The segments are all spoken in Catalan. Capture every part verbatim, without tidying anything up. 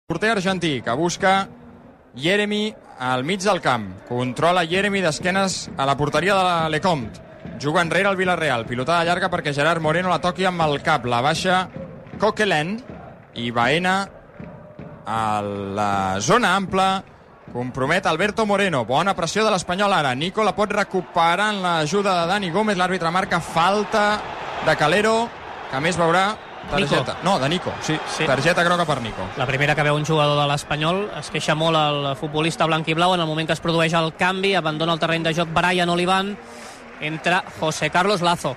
Porter argentí que busca Jeremy al mig del camp. Controla Jeremy d'esquenes a la porteria de la Lecomte. Juga enrere el Villarreal. Pilotada llarga perquè Gerard Moreno la toqui amb el cap. La baixa Coquelin i Baena a la zona ampla. Compromet Alberto Moreno. Bona pressió de l'Espanyol ara. Nico la pot recuperar en l'ajuda de Dani Gómez. L'àrbitre marca falta de Calero, que a més veurà targeta. Nico. No, de Nico, sí. sí. Targeta groga per Nico. La primera que veu un jugador de l'Espanyol. Es queixa molt el futbolista blanc i blau en el moment que es produeix el canvi. Abandona el terreny de joc Brian Olivan. Entra José Carlos Lazo.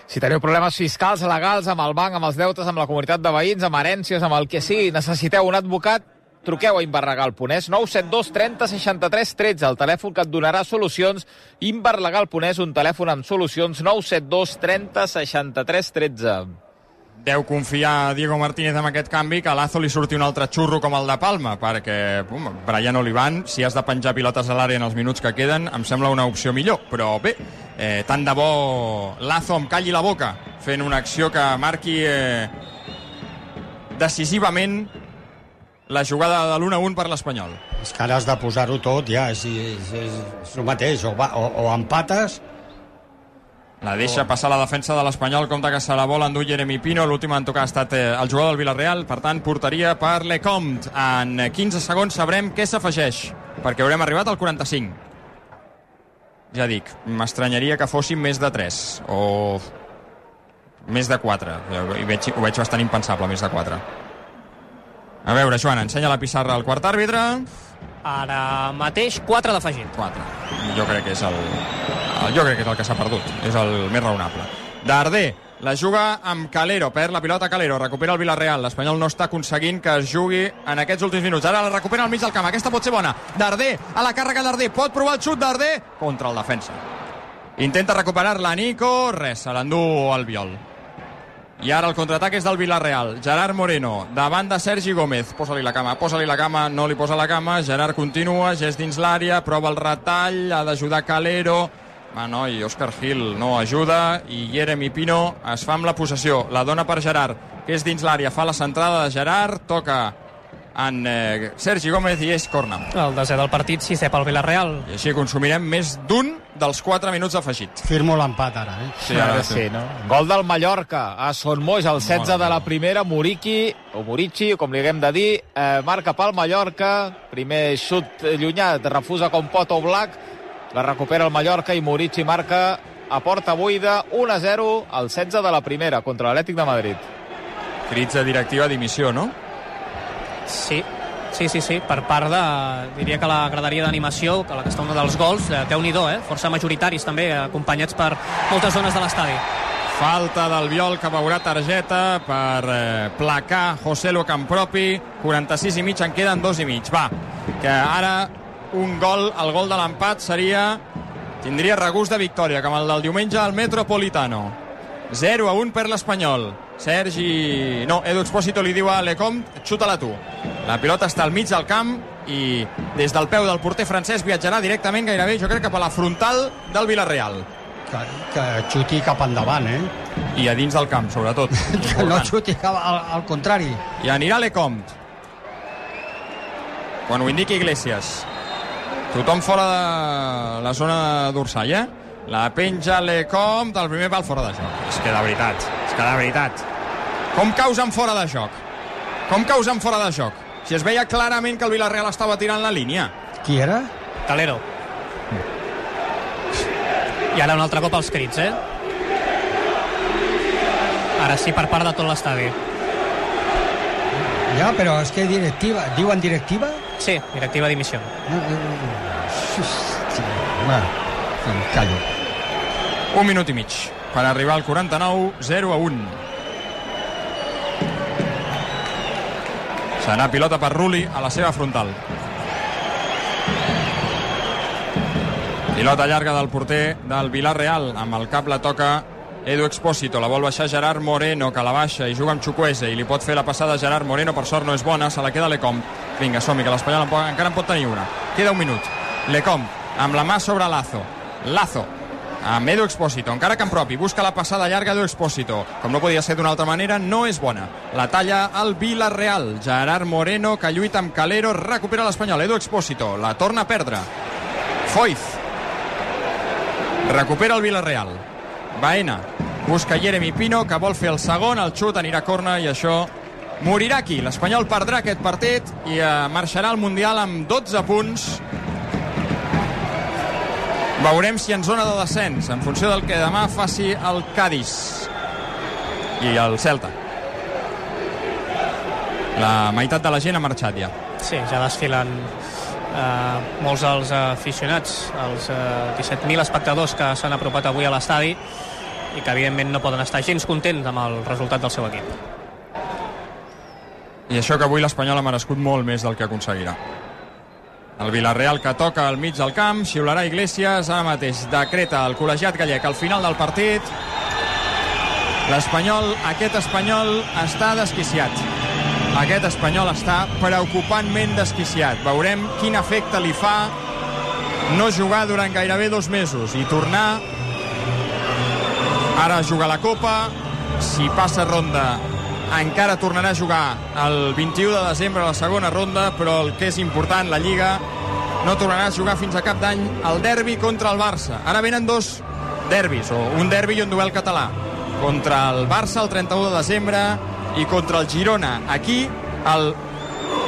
Si teniu problemes fiscals, legals, amb el banc, amb els deutes, amb la comunitat de veïns, amb herències, amb el que sigui, necessiteu un advocat, truqueu a Inverlegal punt es, nou set dos trenta seixanta-tres tretze, el telèfon que et donarà solucions. Inverlegal punt es, un telèfon amb solucions, nou set dos trenta seixanta-tres tretze. Deu confiar Diego Martínez amb aquest canvi, que a Lazo li surti un altre xurro com el de Palma, perquè pum, Brian Olivan, si has de penjar pilotes a l'àrea en els minuts que queden, em sembla una opció millor. Però bé, eh, tant de bo Lazo em calli la boca fent una acció que marqui eh, decisivament la jugada de l'u a u per l'Espanyol. És que ara has de posar-ho tot, ja, és, és, és, és el mateix, o, va, o, o empates. La deixa passar la defensa de l'Espanyol, compte que se la vol endur Jeremy Pino. L'últim en tocar ha estat eh, el jugador del Villarreal, per tant, porteria per Lecomte. En quinze segons sabrem què s'afegeix, perquè haurem arribat al quaranta-cinc. Ja dic, m'estranyaria que fossin més de tres, o més de quatre. Ho veig, ho veig bastant impensable, més de quatre. A veure, Joan, ensenya la pissarra al quart àrbitre. Ara mateix, quatre d'afegit. quatre. Jo crec que és el, el, jo crec que és el que s'ha perdut. És el més raonable. Darder la juga amb Calero. Perd la pilota Calero. Recupera el Villarreal. L'Espanyol no està aconseguint que es jugui en aquests últims minuts. Ara la recupera al mig del camp. Aquesta pot ser bona. Darder, a la càrrega Darder. Pot provar el xut Darder contra el defensa. Intenta recuperar-la Nico. Res, se l'endú al Biol. I ara el contraatac és del Villarreal. Gerard Moreno, davant de Sergi Gómez. Posa-li la cama, posa-li la cama, no li posa la cama. Gerard continua, gest dins l'àrea, prova el retall, ha d'ajudar Calero. Ah, no, i Òscar Gil no ajuda, i Jeremy Pino es fa amb la possessió. La dona per Gerard, que és dins l'àrea, fa la centrada de Gerard, toca en eh, Sergi Gómez i és corna. El desè del partit, sisè pel Villarreal. I així consumirem més d'un dels quatre minuts afegit. Firmo l'empat ara, eh? Sí, ara sí, no? Gol del Mallorca a Son Moix, el setze de la primera. Muriqui, o Murici, com li haguem de dir, eh, marca pel Mallorca. Primer xut llunyà, refusa com pot Oblak. La recupera el Mallorca i Murici marca a porta buida, u a zero, el setze de la primera contra l'Atlètic de Madrid. Crits de directiva dimissió, no? Sí, sí, sí, sí, per part de, diria que la graderia d'animació, que la que està una dels gols, eh, Déu-n'hi-do, eh? Força majoritaris també, acompanyats per moltes zones de l'estadi. Falta del Biol, que veurà targeta per eh, placar José Lu Campropi. quaranta-sis i mig, en queden dos i mig. Va, que ara un gol, el gol de l'empat seria, tindria regust de victòria, com el del diumenge al Metropolitano. zero a un per l'Espanyol. Sergi... No, Edu Expósito li diu a Lecomte, xuta-la tu. La pilota està al mig del camp i des del peu del porter francès viatjarà directament gairebé, jo crec, cap a la frontal del Villarreal. Que, que xuti cap endavant, eh? I a dins del camp, sobretot. Que no xuti cap al, al contrari. I anirà Lecomte. Quan ho indiqui Iglesias. Tothom fora de la zona d'Ursall, eh? La penja Lecomte, el primer pal fora de joc. És que de veritat, és que de veritat. Com causen fora de joc? Com causen fora de joc? Si es veia clarament que el Villarreal estava tirant la línia. Qui era? Calero. I ara un altre cop els crits, eh? Ara sí, per part de tot l'estadi. Ja, però és que directiva... Diuen directiva? Sí, directiva dimissió. Sí, va, callo. Un minut i mig per arribar al quaranta-nou, zero a un. Serà pilota per Rulli a la seva frontal. Pilota llarga del porter del Villarreal. Amb el cap la toca Edu Expósito. La vol baixar Gerard Moreno, que la baixa i juga amb Chukwueze. I li pot fer la passada Gerard Moreno. Per sort no és bona. Se la queda Lecomte. Vinga, som-hi, que l'Espanyol encara en pot tenir una. Queda un minut. Lecomte amb la mà sobre Lazo. Lazo amb Edu Expósito, encara que en propi, busca la passada llarga d'Edu Expósito, com no podia ser d'una altra manera, no és bona, la talla al Villarreal, Gerard Moreno, que lluita amb Calero, recupera l'Espanyol, Edu Expósito, la torna a perdre, Foyth, recupera el Villarreal, Baena, busca Jeremy Pino, que vol fer el segon, el xut anirà a corna i això morirà aquí. L'Espanyol perdrà aquest partit i eh, marxarà al Mundial amb dotze punts. Veurem si en zona de descens, en funció del que demà faci el Cádiz i el Celta. La meitat de la gent ha marxat ja. Sí, ja desfilen eh, molts dels aficionats, els eh, disset mil espectadors que s'han apropat avui a l'estadi i que evidentment no poden estar gens contents amb el resultat del seu equip. I això que avui l'Espanyol ha merescut molt més del que aconseguirà. El Villarreal, que toca al mig del camp, xiularà Iglesias, ara mateix decreta el col·legiat gallec al final del partit. L'Espanyol, aquest Espanyol està desquiciat. Aquest Espanyol està preocupantment desquiciat. Veurem quin efecte li fa no jugar durant gairebé dos mesos i tornar ara a jugar la Copa. Si passa ronda encara tornarà a jugar el vint-i-u de desembre a la segona ronda, però el que és important, la Lliga no tornarà a jugar fins a cap d'any el derbi contra el Barça. Ara venen dos derbis, o un derbi i un duel català, contra el Barça el trenta-u de desembre i contra el Girona aquí el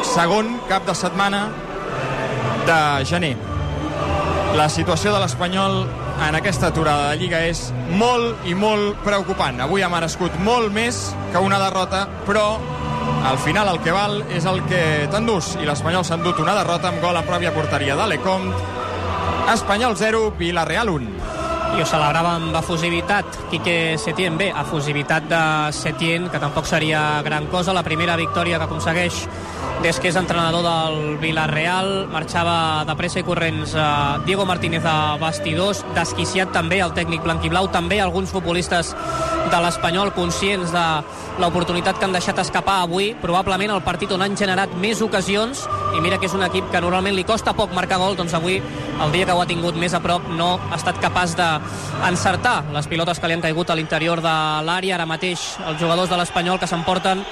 segon cap de setmana de gener. La situació de l'Espanyol en aquesta aturada de Lliga és molt i molt preocupant. Avui ha merescut molt més que una derrota, però al final el que val és el que t'endús, i l'Espanyol s'ha endut una derrota amb gol a pròpia porteria d'Alecomte. Espanyol zero, Villarreal un. I ho celebrava amb efusivitat Quique Setién. Bé, efusivitat de Setién, que tampoc seria gran cosa. La primera victòria que aconsegueix des que és entrenador del Villarreal. Marxava de pressa i corrents eh, Diego Martínez a vestidors, desquiciat també el tècnic blanquiblau, també alguns futbolistes de l'Espanyol conscients de l'oportunitat que han deixat escapar avui, probablement el partit on han generat més ocasions, i mira que és un equip que normalment li costa poc marcar gol, doncs avui, el dia que ho ha tingut més a prop, no ha estat capaç d'encertar les pilotes que li han caigut a l'interior de l'àrea. Ara mateix els jugadors de l'Espanyol que s'emporten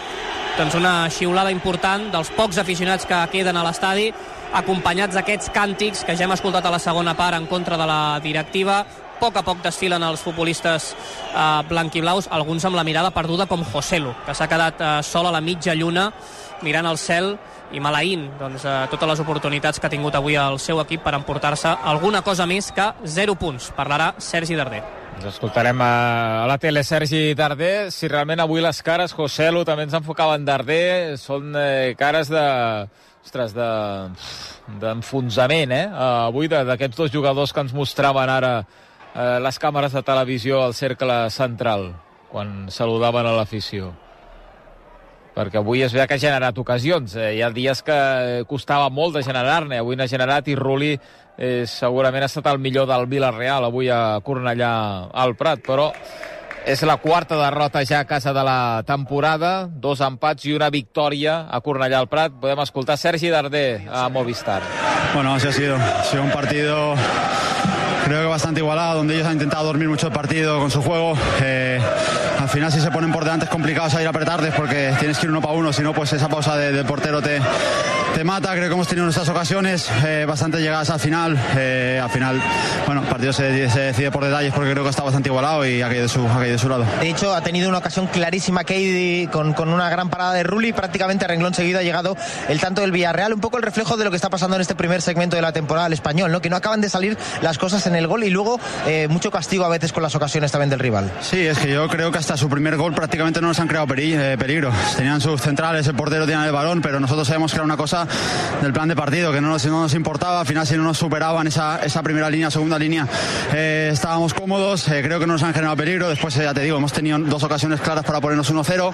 doncs una xiulada important dels pocs aficionats que queden a l'estadi, acompanyats d'aquests càntics que ja hem escoltat a la segona part en contra de la directiva. A poc a poc desfilen els futbolistes eh, blanquiblaus, alguns amb la mirada perduda, com Joselu, que s'ha quedat eh, sol a la mitja lluna mirant el cel i maleint doncs, eh, totes les oportunitats que ha tingut avui el seu equip per emportar-se alguna cosa més que zero punts. Parlarà Sergi Darder. Ens escoltarem a la tele Sergi Darder. Si realment avui les cares, Joselu també ens enfocava en Darder, són eh, cares de... ostres, de... d'enfonsament, eh? Uh, avui d'aquests dos jugadors que ens mostraven ara uh, les càmeres de televisió al cercle central, quan saludaven a l'afició. Perquè avui es veu que ha generat ocasions. Eh? Hi ha dies que costava molt de generar-ne. Avui n'ha generat i Rulli eh, segurament ha estat el millor del Villarreal avui a Cornellà al Prat, però és la quarta derrota ja a casa de la temporada, dos empats i una victòria a Cornellà al Prat. Podem escoltar Sergi Darder a Movistar. Bueno, así ha sido. Ha sido un partido creo que bastante igualado, donde ellos han intentado dormir mucho el partido con su juego. Eh, al final si se ponen por delante es complicado salir a apretarles porque tienes que ir uno para uno, si no pues esa pausa de, del portero te, te mata. Creo que hemos tenido nuestras ocasiones, eh, bastante llegadas al final. Eh, al final, bueno, el partido se, se decide por detalles porque creo que está bastante igualado y ha caído de su, ha caído de su lado. De hecho, ha tenido una ocasión clarísima Keidi con, con una gran parada de Rulli, prácticamente a renglón seguido ha llegado el tanto del Villarreal, un poco el reflejo de lo que está pasando en este primer segmento de la temporada del Español, ¿no? Que no acaban de salir las cosas en el gol y luego eh, mucho castigo a veces con las ocasiones también del rival. Sí, es que yo creo que hasta su primer gol prácticamente no nos han creado peri eh, peligro. Tenían sus centrales, el portero tenía el balón, pero nosotros sabemos que era una cosa del plan de partido, que no nos, no nos importaba. Al final, si no nos superaban esa, esa primera línea, segunda línea, eh, estábamos cómodos. Eh, creo que no nos han generado peligro. Después, eh, ya te digo, hemos tenido dos ocasiones claras para ponernos uno cero.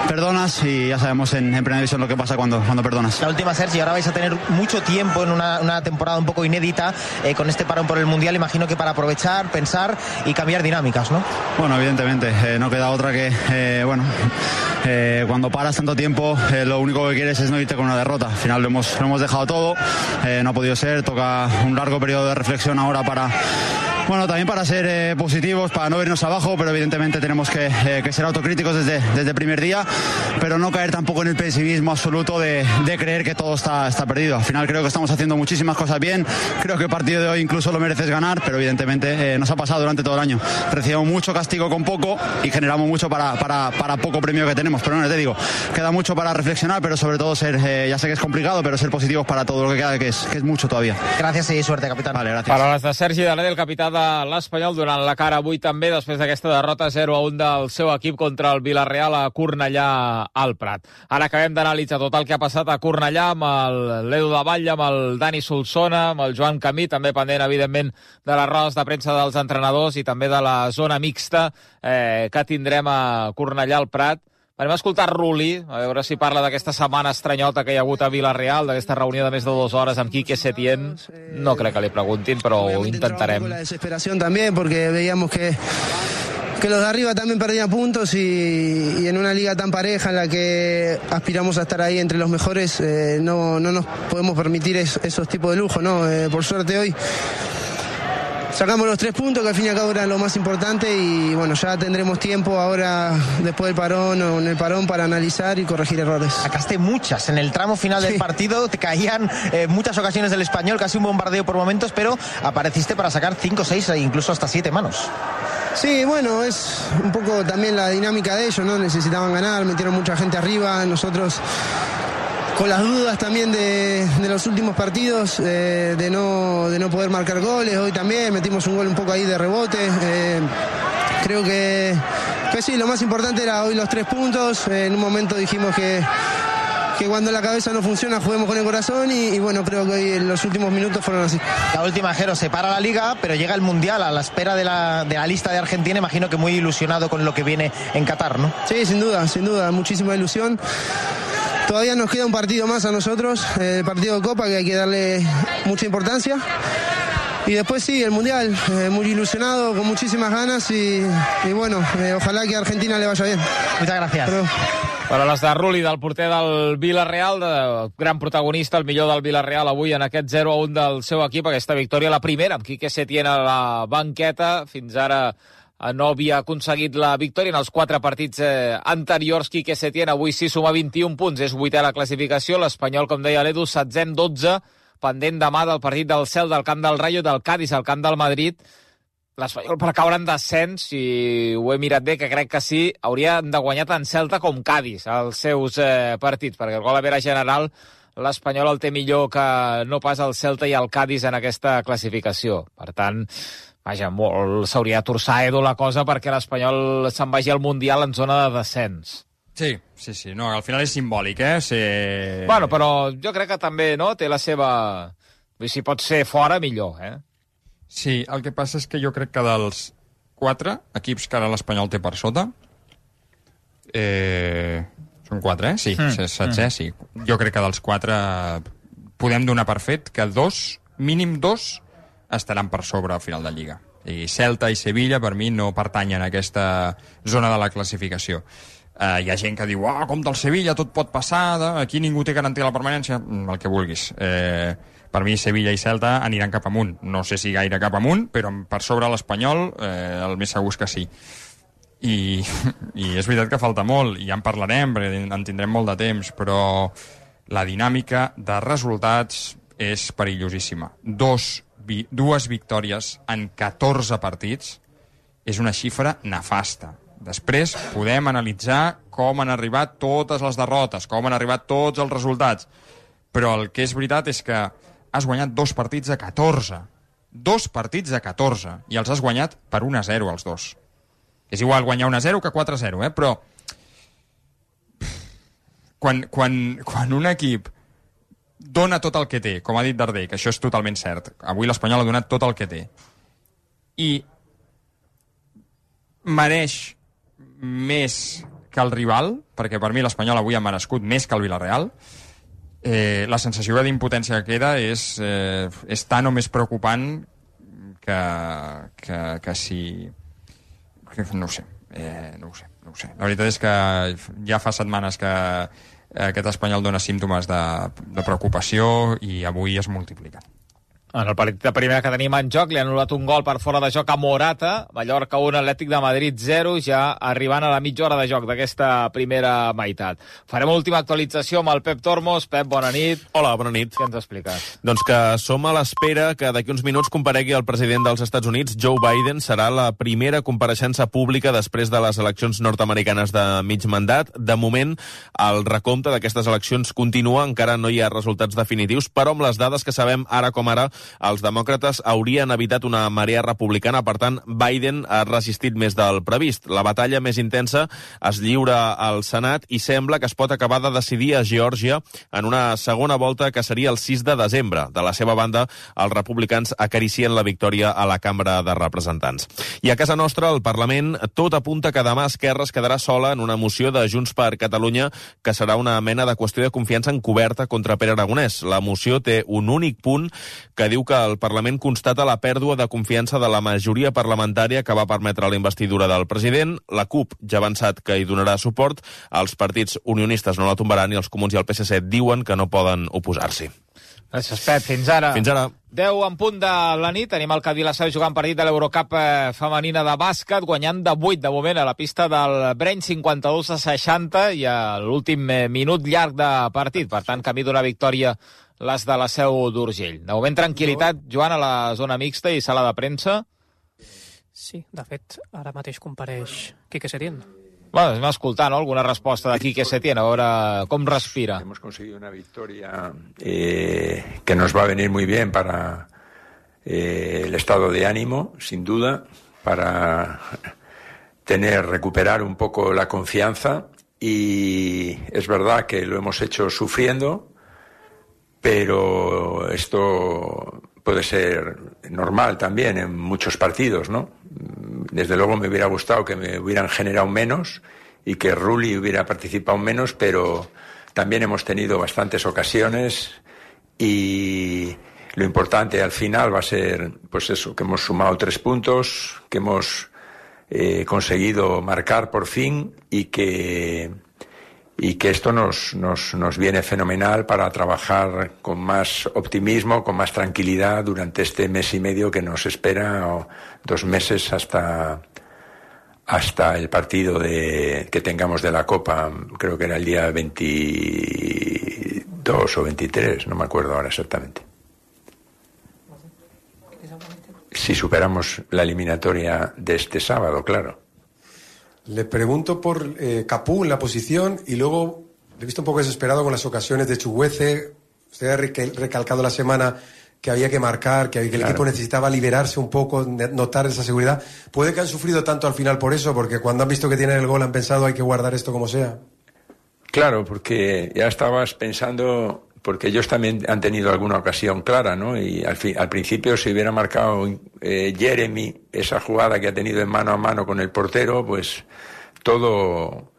Perdonas y ya sabemos en, en primera división lo que pasa cuando, cuando perdonas. La última, Sergi, ahora vais a tener mucho tiempo en una, una temporada un poco inédita eh, con este parón por el Mundial. Imagino que para aprovechar, pensar y cambiar dinámicas, ¿no? Bueno, evidentemente, eh, no queda otra que, eh, bueno, eh, cuando paras tanto tiempo, eh, lo único que quieres es no irte con una derrota. Al final lo hemos, lo hemos dejado todo, eh, no ha podido ser, toca un largo periodo de reflexión ahora para Bueno, también para ser eh, positivos, para no irnos abajo, pero evidentemente tenemos que, eh, que ser autocríticos desde, desde el primer día, pero no caer tampoco en el pesimismo absoluto de, de creer que todo está, está perdido. Al final creo que estamos haciendo muchísimas cosas bien, creo que el partido de hoy incluso lo mereces ganar, pero evidentemente eh, nos ha pasado durante todo el año. Recibimos mucho castigo con poco y generamos mucho para, para, para poco premio que tenemos, pero no, te digo, queda mucho para reflexionar, pero sobre todo ser, eh, ya sé que es complicado, pero ser positivos para todo lo que queda, que es, que es mucho todavía. Gràcies i suerte, capitán. Vale, gràcies. Paraules de Sergi Darder, el capità de l'Espanyol, donant la cara avui també després d'aquesta derrota zero a un del seu equip contra el Villarreal a Cornellà al Prat. Ara acabem d'analitzar tot el que ha passat a Cornellà amb l'Edu de Batlle, amb el Dani Solsona, amb el Joan Camí, també pendent, evidentment, de les rodes de premsa dels entrenadors i també de la zona mixta eh, que tindrem a Cornellà al Prat. Anem a escoltar Rulli, a veure si parla d'aquesta setmana estranyota que hi ha hagut a Villarreal, d'aquesta reunió de més de dues hores amb Quique Setién. No crec que li preguntin, però ho intentarem. La desesperación también, porque veíamos que que los de arriba también perdían puntos y, y en una liga tan pareja en la que aspiramos a estar ahí entre los mejores, eh, no, no nos podemos permitir es, esos tipos de lujo, ¿no? Eh, por suerte hoy sacamos los tres puntos, que al fin y al cabo era lo más importante, y bueno, ya tendremos tiempo ahora, después del parón o en el parón, para analizar y corregir errores. Sacaste muchas en el tramo final sí. del partido, te caían eh, muchas ocasiones del Español, casi un bombardeo por momentos, pero apareciste para sacar cinco, seis e incluso hasta siete manos. Sí, bueno, es un poco también la dinámica de ellos, ¿no? Necesitaban ganar, metieron mucha gente arriba, nosotros con las dudas también de, de los últimos partidos, eh, de, no, de no poder marcar goles. Hoy también metimos un gol un poco ahí de rebote. Eh, creo que, que sí, lo más importante era hoy los tres puntos. Eh, en un momento dijimos que, que cuando la cabeza no funciona juguemos con el corazón y, y bueno, creo que hoy en los últimos minutos fueron así. La última, Jero, se para la Liga, pero llega el Mundial a la espera de la, de la lista de Argentina. Imagino que muy ilusionado con lo que viene en Qatar, ¿no? Sí, sin duda, sin duda, muchísima ilusión. Todavía nos queda un partido más a nosotros, el eh, partido de Copa, que hay que darle mucha importancia. Y después sí, el Mundial, eh, muy ilusionado, con muchísimas ganas y, y bueno, eh, ojalá que a Argentina le vaya bien. Muchas gracias. Pero... Paraules de Rulli, del porter del Villarreal, de gran protagonista, el millor del Villarreal avui en aquest zero a un del seu equip, aquesta victòria, la primera, amb Quique Setién a la banqueta. Fins ara no havia aconseguit la victòria en els quatre partits eh, anteriors. Quique Setién avui sí suma vint-i-un punts, és vuitè a la classificació. L'Espanyol, com deia l'Edu, setzè amb dotze, pendent demà del partit del Cel, del camp del Rayo, del Cádiz al camp del Madrid. L'Espanyol, per caure en descens, si ho he mirat bé, que crec que sí, hauria de guanyar tant Celta com Cádiz els seus eh, partits, perquè el gol a vera general l'Espanyol el té millor que no pas el Celta i el Cádiz en aquesta classificació. Per tant, vaja, molt s'hauria de torçar, Edu, la cosa perquè l'Espanyol se'n vagi al Mundial en zona de descens. Sí, sí, sí. No, al final és simbòlic, eh? Ser... Bueno, però jo crec que també, no?, té la seva... Si pot ser fora, millor, eh? Sí, el que passa és que jo crec que dels quatre equips que ara l'Espanyol té per sota, eh, són quatre, eh? Sí, mm. setzè, sí. Jo crec que dels quatre podem donar per fet que dos, mínim dos, estaran per sobre al final de Lliga. I Celta i Sevilla, per mi, no pertanyen a aquesta zona de la classificació. Uh, hi ha gent que diu, oh, com del Sevilla, tot pot passar, aquí ningú té garantia la permanència, el que vulguis. Eh, per mi Sevilla i Celta aniran cap amunt. No sé si gaire cap amunt, però per sobre l'Espanyol eh, el més segur és que sí. I, I és veritat que falta molt, i ja en parlarem, perquè en tindrem molt de temps, però la dinàmica de resultats és perillosíssima. Dos, vi, dues victòries en catorze partits és una xifra nefasta. Després podem analitzar com han arribat totes les derrotes, com han arribat tots els resultats, però el que és veritat és que has guanyat dos partits a catorze. Dos partits a catorze. I els has guanyat per un a zero, els dos. És igual guanyar un a zero que quatre a zero, eh? Però quan, quan, quan un equip dona tot el que té, com ha dit Darder, que això és totalment cert, avui l'Espanyol ha donat tot el que té, i mereix més que el rival, perquè per mi l'Espanyol avui ha merescut més que el Villarreal, Eh, la sensació d'impotència que queda és, eh, és tan o més preocupant que, que, que si... Que, no ho sé, eh, no ho sé, no ho sé. La veritat és que ja fa setmanes que aquest Espanyol dona símptomes de, de preocupació i avui es multipliquen. En el partit de primera que tenim en joc, li han anul·lat un gol per fora de joc a Morata, Mallorca un, Atlètic de Madrid zero, ja arribant a la mitja hora de joc d'aquesta primera meitat. Farem l'última actualització amb el Pep Tormos. Pep, bona nit. Hola, bona nit. Què ens expliques? Doncs que som a l'espera que d'aquí uns minuts comparegui el president dels Estats Units, Joe Biden. Serà la primera compareixença pública després de les eleccions nord-americanes de mig mandat. De moment, el recompte d'aquestes eleccions continua, encara no hi ha resultats definitius, però amb les dades que sabem ara com ara, els demòcrates haurien evitat una marea republicana, per tant, Biden ha resistit més del previst. La batalla més intensa es lliura al Senat i sembla que es pot acabar de decidir a Geòrgia en una segona volta que seria el sis de desembre. De la seva banda, els republicans acaricien la victòria a la Cambra de Representants. I a casa nostra, al Parlament, tot apunta que demà Esquerra es quedarà sola en una moció de Junts per Catalunya que serà una mena de qüestió de confiança encoberta contra Pere Aragonès. La moció té un únic punt que diu que el Parlament constata la pèrdua de confiança de la majoria parlamentària que va permetre la investidura del president. La CUP ja ha avançat que hi donarà suport. Els partits unionistes no la tombaran i els Comuns i el P S C diuen que no poden oposar-s'hi. Gràcies, Pep. Fins ara. Fins ara. deu en punt de la nit. Tenim el Cadí la Seu jugant partit de l'Eurocup femenina de bàsquet, guanyant de vuit de moment a la pista del Breny, cinquanta-dos a seixanta, i a l'últim minut llarg de partit. Per tant, camí d'una victòria les de la Seu d'Urgell. De moment, tranquil·litat, Joan, a la zona mixta i sala de premsa. Sí, de fet, ara mateix compareix Quique Setién. Bueno, anem a escoltar, ¿no?, alguna resposta de Quique Setién, a veure com respira. Hemos conseguido una victoria eh, que nos va a venir muy bien para eh, el estado de ánimo, sin duda, para tener, recuperar un poco la confianza, y es verdad que lo hemos hecho sufriendo, pero esto puede ser normal también en muchos partidos, ¿no? Desde luego me hubiera gustado que me hubieran generado menos y que Rulli hubiera participado menos, pero también hemos tenido bastantes ocasiones y lo importante al final va a ser, pues eso, que hemos sumado tres puntos, que hemos eh, conseguido marcar por fin y que... y que esto nos, nos, nos viene fenomenal para trabajar con más optimismo, con más tranquilidad durante este mes y medio que nos espera, o dos meses hasta, hasta el partido de, que tengamos de la Copa. Creo que era el día veintidós o veintitrés, no me acuerdo ahora exactamente. Si superamos la eliminatoria de este sábado, claro. Le pregunto por eh, Capú en la posición y luego le he visto un poco desesperado con las ocasiones de Chuguece. Usted ha recalcado la semana que había que marcar, que el claro. equipo necesitaba liberarse un poco, notar esa seguridad. ¿Puede que han sufrido tanto al final por eso? Porque cuando han visto que tienen el gol han pensado hay que guardar esto como sea. Claro, porque ya estabas pensando... porque ellos también han tenido alguna ocasión clara, ¿no? Y al, fin, al principio si hubiera marcado eh, Jeremy esa jugada que ha tenido en mano a mano con el portero, pues todo,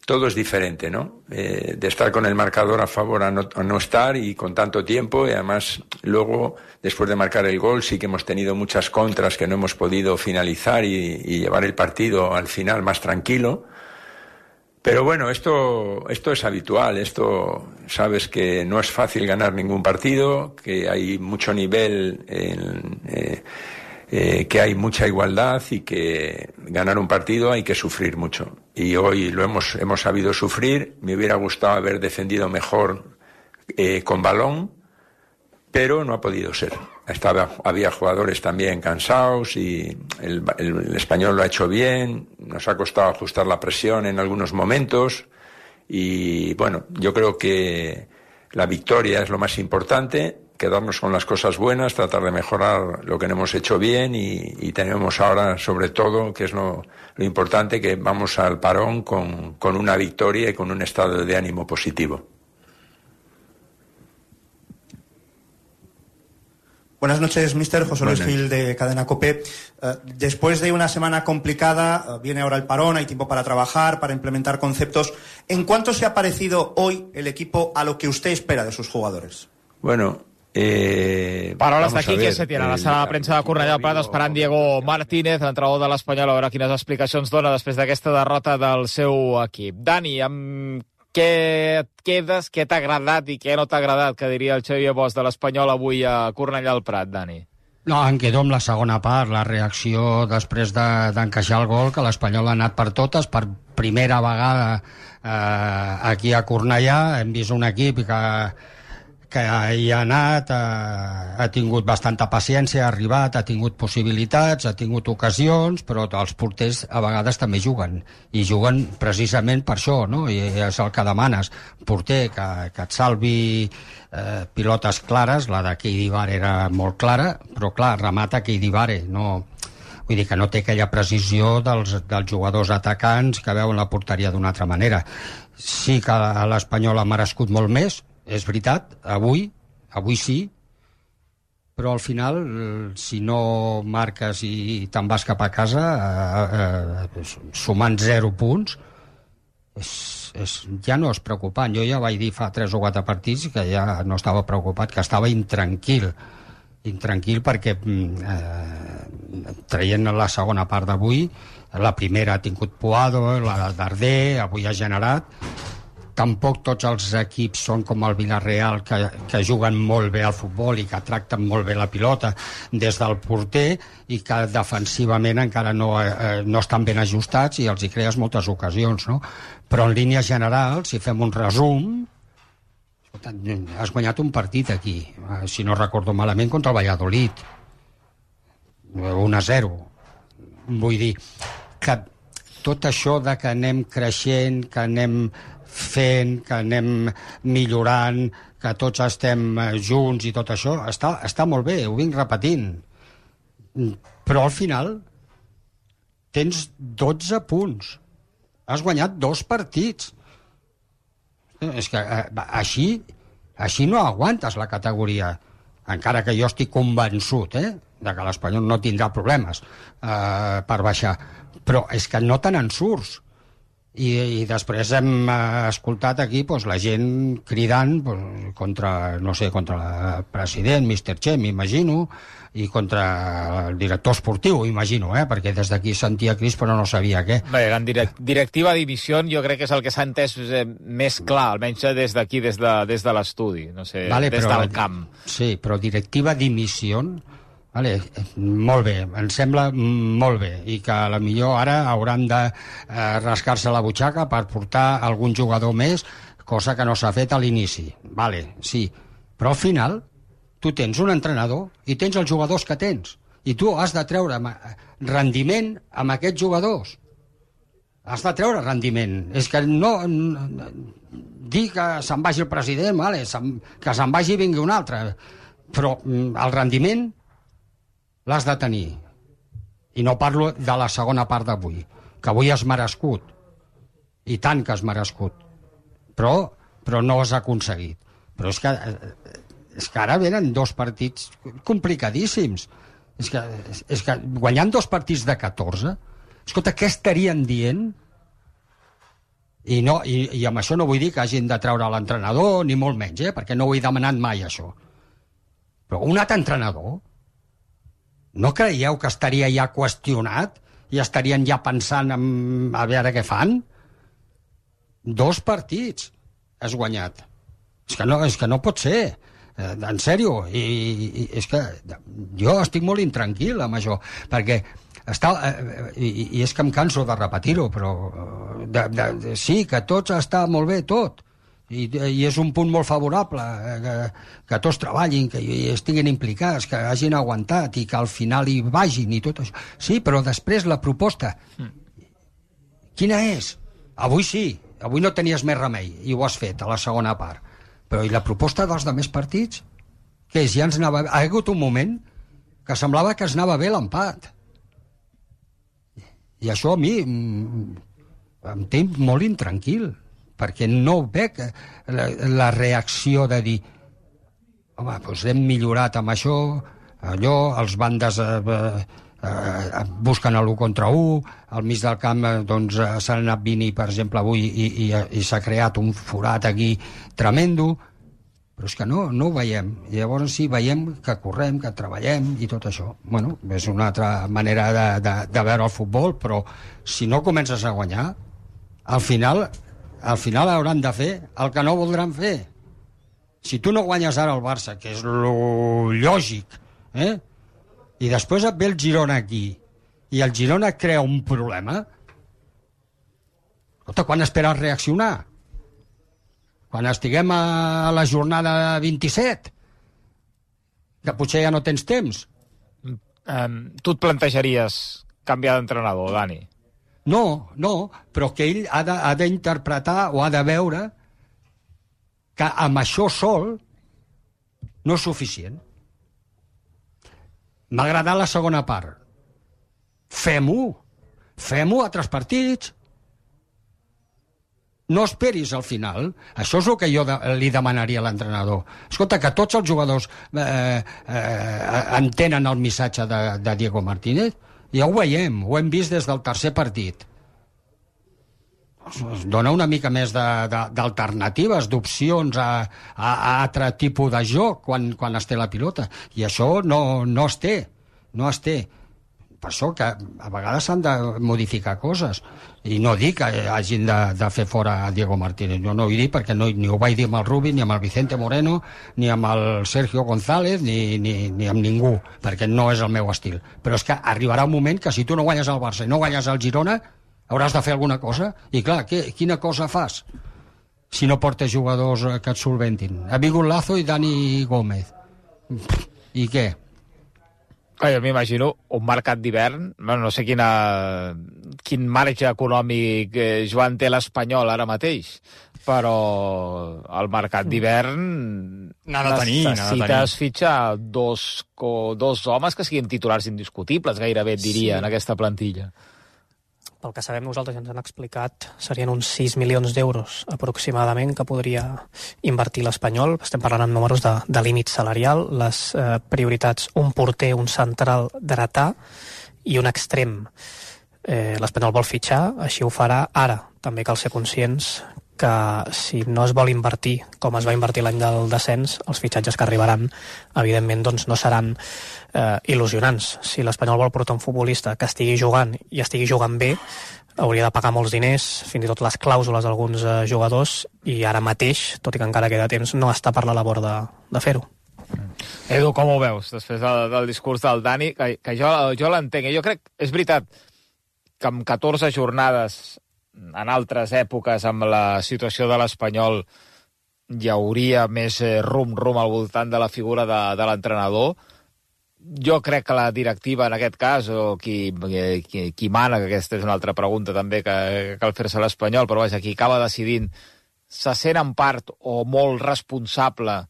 todo es diferente, ¿no? Eh, de estar con el marcador a favor a no, a no estar y con tanto tiempo, y además luego, después de marcar el gol, sí que hemos tenido muchas contras que no hemos podido finalizar y, y llevar el partido al final más tranquilo. Pero bueno, esto, esto es habitual, esto sabes que no es fácil ganar ningún partido, que hay mucho nivel, en, eh, eh, que hay mucha igualdad y que ganar un partido hay que sufrir mucho. Y hoy lo hemos, hemos sabido sufrir, me hubiera gustado haber defendido mejor eh, con balón, pero no ha podido ser. Estaba, había jugadores también cansados y el, el, el español lo ha hecho bien, nos ha costado ajustar la presión en algunos momentos y bueno, yo creo que la victoria es lo más importante, quedarnos con las cosas buenas, tratar de mejorar lo que no hemos hecho bien y, y tenemos ahora sobre todo, que es lo, lo importante, que vamos al parón con, con una victoria y con un estado de ánimo positivo. Buenas noches, mister José Luis Gil de Cadena COPE. Uh, después de una semana complicada, uh, viene ahora el parón, hay tiempo para trabajar, para implementar conceptos. ¿En cuánto se ha parecido hoy el equipo a lo que usted espera de sus jugadores? Bueno, eh... Paraules de Quique Setién a la sala de premsa de Cornellà del Prat, esperant Diego Martínez, l'entrenador de l'Espanyol, a veure quines explicacions dona després d'aquesta derrota del seu equip. Dani, amb què et quedes, què t'ha agradat i què no t'ha agradat, que diria el Xavier Bosch de l'Espanyol avui a Cornellà al Prat, Dani? No, em quedo amb la segona part, la reacció després d'encaixar el gol, que l'Espanyol ha anat per totes, per primera vegada eh, aquí a Cornellà. Hem vist un equip que, que hi ha anat, eh, ha tingut bastanta paciència, ha arribat, ha tingut possibilitats, ha tingut ocasions, però els porters a vegades també juguen, i juguen precisament per això, no? I és el que demanes, porter que, que et salvi eh, pilotes clares. La de Keidi Bare era molt clara, però clar, remata Keidi Bare, no... Vull dir que no té aquella precisió dels, dels jugadors atacants que veuen la porteria d'una altra manera. Sí que l'Espanyol ha merescut molt més, és veritat, avui, avui sí, però al final, si no marques i te'n vas cap a casa, eh, eh, sumant zero punts, és, és, ja no és preocupant. Jo ja vaig dir fa tres o quatre partits que ja no estava preocupat, que estava intranquil, intranquil perquè eh, traient la segona part d'avui, la primera ha tingut Puado, la Darder, avui ha generat. Tampoc tots els equips són com el Villarreal, que, que juguen molt bé al futbol i que tracten molt bé la pilota des del porter, i que defensivament encara no, eh, no estan ben ajustats i els hi crees moltes ocasions, no? Però en línies generals, si fem un resum, has guanyat un partit aquí, si no recordo malament, contra el Valladolid, un a zero. Vull dir que tot això de que anem creixent, que anem fent, que anem millorant, que tots estem junts i tot això, està, està molt bé, ho vinc repetint. Però al final tens dotze punts. Has guanyat dos partits. És que eh, així, així no aguantes la categoria. Encara que jo estic convençut, eh, de que l'Espanyol no tindrà problemes eh, per baixar. Però és que no te n'en surts. I, i després hem escoltat aquí pues, la gent cridant pues, contra, no sé, contra el president, mister Che, m'imagino, i contra el director esportiu, imagino, eh? Perquè des d'aquí sentia crits però no sabia què. Bé, en direct, directiva dimissió jo crec que és el que s'ha entès eh, més clar, almenys des d'aquí, des de, des de l'estudi, no sé, vale, des però, del camp. Sí, però directiva dimissió... Vale, molt bé, em sembla molt bé, i que a la millor ara hauran de eh, rascar-se la butxaca per portar algun jugador més, cosa que no s'ha fet a l'inici. Vale, sí, però al final tu tens un entrenador i tens els jugadors que tens, i tu has de treure rendiment amb aquests jugadors. Has de treure rendiment. És que no... no dir que se'n vagi el president, vale, se'n, que se'n vagi i vingui un altre, però el rendiment l'has de tenir. I no parlo de la segona part d'avui, que avui has merescut, i tant que has merescut, però, però no has aconseguit. Però és que, és que ara venen dos partits complicadíssims. És que, és que guanyant dos partits de catorze, escolta, què estarien dient? I, no, i, i amb això no vull dir que hagin de treure l'entrenador, ni molt menys, eh? Perquè no ho he demanat mai, això. Però un altre entrenador, no creieu que estaria ja qüestionat i estarien ja pensant en, a veure què fan? Dos partits has guanyat. És que no, és que no pot ser. Eh, en sèrio. I, i és que jo estic molt intranquil amb això, perquè està, eh, i, i és que em canso de repetir-ho, però de, de, de, sí, que tot està molt bé, tot. I, i és un punt molt favorable, que, que tots treballin, que estiguin implicats, que hagin aguantat i que al final hi vagin i tot això. Sí, però després la proposta, quina és? Avui sí, avui no tenies més remei i ho has fet a la segona part, però i la proposta dels demés partits? Què és? Ja ens anava... Ha hagut un moment que semblava que es anava bé l'empat, i això a mi em té molt intranquil, perquè no veig la, la reacció de dir home, doncs hem millorat amb això, allò, els bandes eh, eh, busquen l'u contra u, al mig del camp eh, doncs s'han anat Vini, per exemple, avui, i, i, i s'ha creat un forat aquí tremendo, però és que no, no ho veiem. I llavors sí, veiem que correm, que treballem i tot això. Bueno, és una altra manera de, de, de veure el futbol, però si no comences a guanyar, al final al final hauran de fer el que no voldran fer. Si tu no guanyes ara el Barça, que és lo lògic, eh? I després et ve el Girona aquí, i el Girona crea un problema, escolta, quan esperes reaccionar? Quan estiguem a la jornada vint-i-set? Que potser ja no tens temps. Um, tu et plantejaries canviar d'entrenador, Dani? No, no, però que ell ha d'interpretar o ha de veure que amb això sol no és suficient. M'ha agradat la segona part. Fem-ho. Fem-ho a tres partits. No esperis al final. Això és el que jo de, li demanaria a l'entrenador. Escolta, que tots els jugadors eh, eh, entenen el missatge de, de Diego Martínez. Ja ho veiem, ho hem vist des del tercer partit. Es dona una mica més d'alternatives, d'opcions a, a, a altre tipus de joc quan, quan es té la pilota. I això no, no es té. No es té. Per això que a vegades s'han de modificar coses. I no dic que hagin de, de fer fora a Diego Martínez. Jo no ho he dit perquè no, ni ho vaig dir amb el Rubi, ni amb el Vicente Moreno, ni amb el Sergio González, ni, ni, ni amb ningú, perquè no és el meu estil. Però és que arribarà un moment que si tu no guanyes el Barça i no guanyes el Girona, hauràs de fer alguna cosa. I clar, què, quina cosa fas si no portes jugadors que et solventin? Ha vingut Lazo i Dani Gómez. I què? Jo m'imagino un mercat d'hivern, no sé quina, quin marge econòmic eh, Joan té l'Espanyol ara mateix, però el mercat d'hivern necessites fitxar dos, dos homes que siguin titulars indiscutibles, gairebé et diria, sí, en aquesta plantilla. Pel que sabem nosaltres, ja ens han explicat, serien uns sis milions d'euros aproximadament que podria invertir l'Espanyol. Estem parlant en números de, de límit salarial, les eh, prioritats, un porter, un central dretà i un extrem. Eh, L'Espanyol vol fitxar, així ho farà ara. També cal ser conscients que si no es vol invertir com es va invertir l'any del descens, els fitxatges que arribaran, evidentment, doncs no seran eh, il·lusionants. Si l'Espanyol vol portar un futbolista que estigui jugant i estigui jugant bé, hauria de pagar molts diners, fins i tot les clàusules d'alguns eh, jugadors, i ara mateix, tot i que encara queda temps, no està per la labor de, de fer-ho. Edu, com ho veus, després del, del discurs del Dani? Que, que jo, jo l'entenc. Jo crec, és veritat, que amb catorze jornades en altres èpoques, amb la situació de l'Espanyol, hi hauria més rum-rum al voltant de la figura de, de l'entrenador. Jo crec que la directiva, en aquest cas, o qui, qui, qui mana, que aquesta és una altra pregunta també que, que cal fer-se a l'Espanyol, però vaja, qui acaba decidint, se sent en part o molt responsable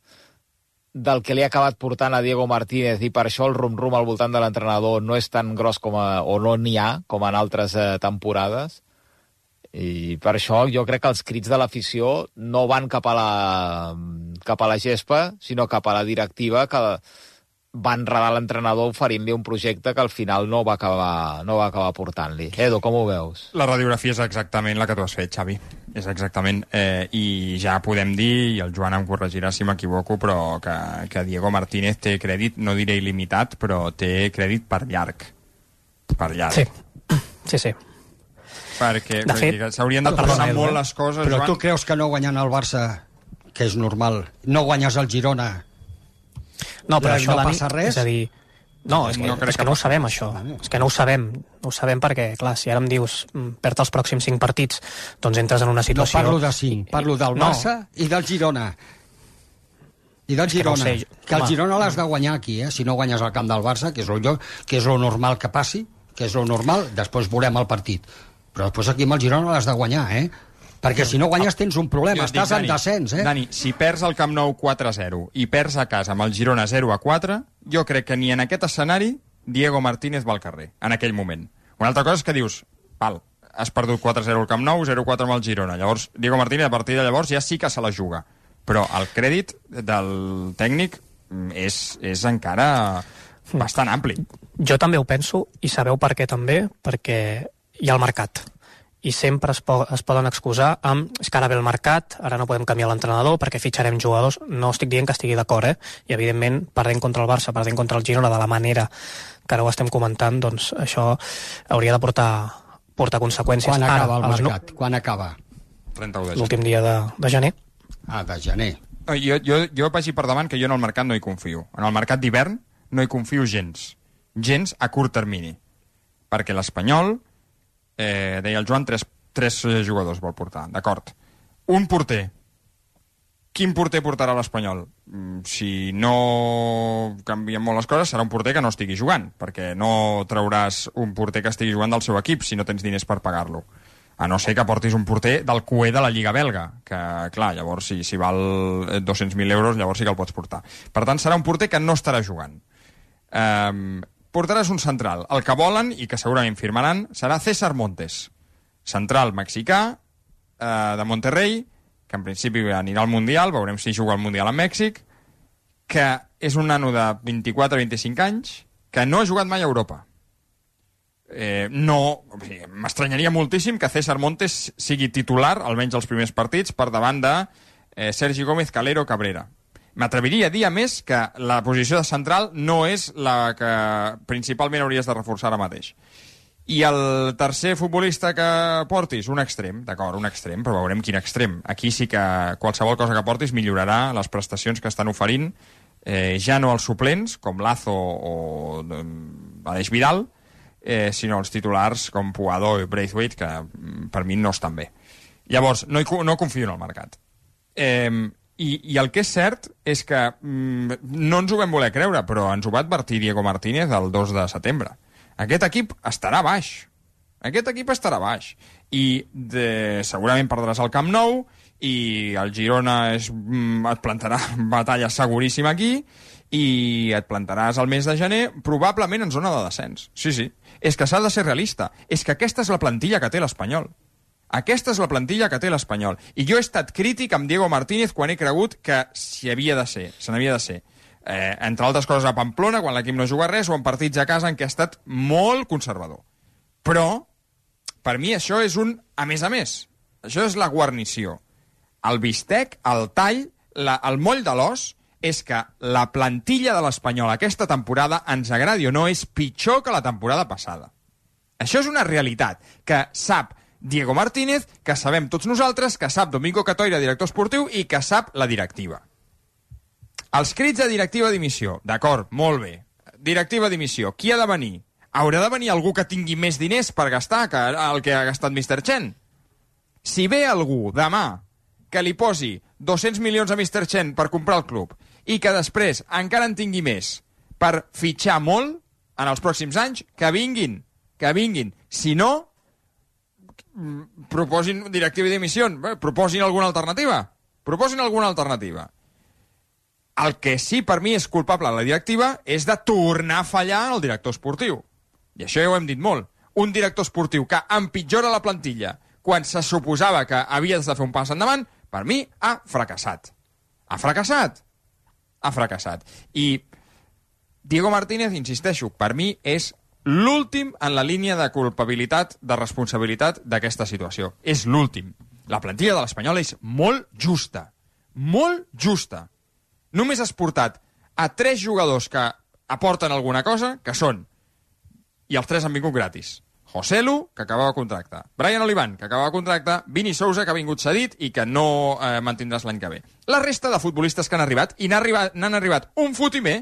del que li ha acabat portant a Diego Martínez, i per això el rum-rum al voltant de l'entrenador no és tan gros com a, o no n'hi ha com en altres eh, temporades. I per això jo crec que els crits de l'afició no van cap a la, cap a la gespa, sinó cap a la directiva, que va enredar l'entrenador oferint-li un projecte que al final no va acabar, no va acabar portant-li. Edu, com ho veus? La radiografia és exactament la que tu has fet, Xavi. És exactament. Eh, I ja podem dir, i el Joan em corregirà si m'equivoco, però que, que Diego Martínez té crèdit, no diré il·limitat, però té crèdit per llarg. Per llarg. Sí, sí, sí. Perquè s'haurien de passar molt les coses, però Joan. Tu creus que no guanyant el Barça, que és normal, no guanyes el Girona, no, però això, no Dani, passa res? És a dir, no, és que no, és que no ho sabem, això. És que no ho sabem. No ho sabem perquè, clar, si ara em dius perd els pròxims cinc partits, doncs entres en una situació... No parlo de cinc, parlo del Barça no. i del Girona. I del Girona. Que, no sé, que el Girona l'has de guanyar aquí, eh? Si no guanyes al camp del Barça, que és el lloc, que és el normal que passi, que és el normal, després veurem el partit. Però després aquí amb el Girona l'has de guanyar, eh? Perquè si no guanyes tens un problema, jo estàs dic, Dani, en descens, eh? Dani, si perds el Camp Nou quatre a zero i perds a casa amb el Girona zero a quatre, jo crec que ni en aquest escenari Diego Martínez va al carrer, en aquell moment. Una altra cosa és que dius, val, has perdut quatre a zero al Camp Nou, zero a quatre amb el Girona. Llavors, Diego Martínez, a partir de llavors, ja sí que se la juga. Però el crèdit del tècnic és, és encara bastant ampli. Jo també ho penso, i sabeu per què també? Perquè hi ha el mercat. I sempre es, po es poden excusar amb és que ara ve el mercat, ara no podem canviar l'entrenador perquè fitxarem jugadors. No estic dient que estigui d'acord, eh? I evidentment, perdent contra el Barça, perdent contra el Girona de la manera que ara ho estem comentant, doncs això hauria de portar, portar conseqüències. Quan acaba ara, el mercat? No... Quan acaba? trenta-u de gener. L'últim dia de, de gener. Ah, de gener. Jo, jo, jo vagi per davant que jo en el mercat no hi confio. En el mercat d'hivern no hi confio gens. Gens a curt termini. Perquè l'Espanyol, eh, deia el Joan, tres, tres jugadors vol portar, d'acord. Un porter. Quin porter portarà l'Espanyol? Si no canvien molt les coses, serà un porter que no estigui jugant, perquè no trauràs un porter que estigui jugant del seu equip si no tens diners per pagar-lo. A no ser que portis un porter del Q E de la Lliga belga, que, clar, llavors, si, si val dos-cents mil euros, llavors sí que el pots portar. Per tant, serà un porter que no estarà jugant. Um, portaràs un central. El que volen, i que segurament firmaran, serà César Montes, central mexicà, uh, de Monterrey, que en principi anirà al Mundial, veurem si juga al Mundial a Mèxic, que és un nano de vint-i-quatre a vint-i-cinc anys, que no ha jugat mai a Europa. Eh, no, o sigui, m'estranyaria moltíssim que César Montes sigui titular, almenys els primers partits, per davant de eh, Sergi Gómez, Calero, Cabrera. M'atreviria a dir, a més, que la posició de central no és la que principalment hauries de reforçar ara mateix. I el tercer futbolista que portis, un extrem, d'acord, un extrem, però veurem quin extrem. Aquí sí que qualsevol cosa que portis millorarà les prestacions que estan oferint, eh, ja no els suplents, com Lazo o Aleix Vidal, eh, sinó els titulars com Puado i Braithwaite, que per mi no estan bé. Llavors, no, hi, no confio en el mercat. Eh, i, I el que és cert és que mm, no ens ho vam voler creure, però ens ho va advertir Diego Martínez el dos de setembre. Aquest equip estarà baix. Aquest equip estarà baix. I de, segurament perdràs el Camp Nou i el Girona és, et plantarà batalla seguríssima aquí i et plantaràs el mes de gener probablement en zona de descens. Sí, sí. És que s'ha de ser realista. És que aquesta és la plantilla que té l'Espanyol. Aquesta és la plantilla que té l'Espanyol. I jo he estat crític amb Diego Martínez quan he cregut que s'hi havia de ser, se n'havia de ser. Eh, entre altres coses a Pamplona, quan l'equip no juga res, o en partits a casa en què ha estat molt conservador. Però, per mi, això és un a més a més. Això és la guarnició. El bistec, el tall, la, el moll de l'os, és que la plantilla de l'Espanyol aquesta temporada, ens agradi o no, és pitjor que la temporada passada. Això és una realitat que sap Diego Martínez, que sabem tots nosaltres, que sap Domingo Catoira, director esportiu, i que sap la directiva. Els crits de directiva dimissió, d'acord, molt bé. Directiva dimissió, qui ha de venir? Haurà de venir algú que tingui més diners per gastar que el que ha gastat mister Chen? Si ve algú demà que li posi dos-cents milions a mister Chen per comprar el club i que després encara en tingui més per fitxar molt en els pròxims anys, que vinguin, que vinguin. Si no, proposin directiva dimissió, proposin alguna alternativa. Proposin alguna alternativa. El que sí per mi és culpable a la directiva és de tornar a fallar en el director esportiu. I això ja ho hem dit molt. Un director esportiu que empitjora la plantilla quan se suposava que havies de fer un pas endavant, per mi ha fracassat. Ha fracassat. Ha fracassat. I Diego Martínez, insisteixo, per mi és l'últim en la línia de culpabilitat, de responsabilitat d'aquesta situació. És l'últim. La plantilla de l'Espanyol és molt justa. Molt justa. Només has portat a tres jugadors que aporten alguna cosa, que són, i els tres han vingut gratis. Joselu, que acabava contracte. Brian Olivan, que acabava contracte. Vini Sousa, que ha vingut cedit i que no eh, mantindràs l'any que ve. La resta de futbolistes que han arribat, i n'han arribat, n'han arribat un fotimer,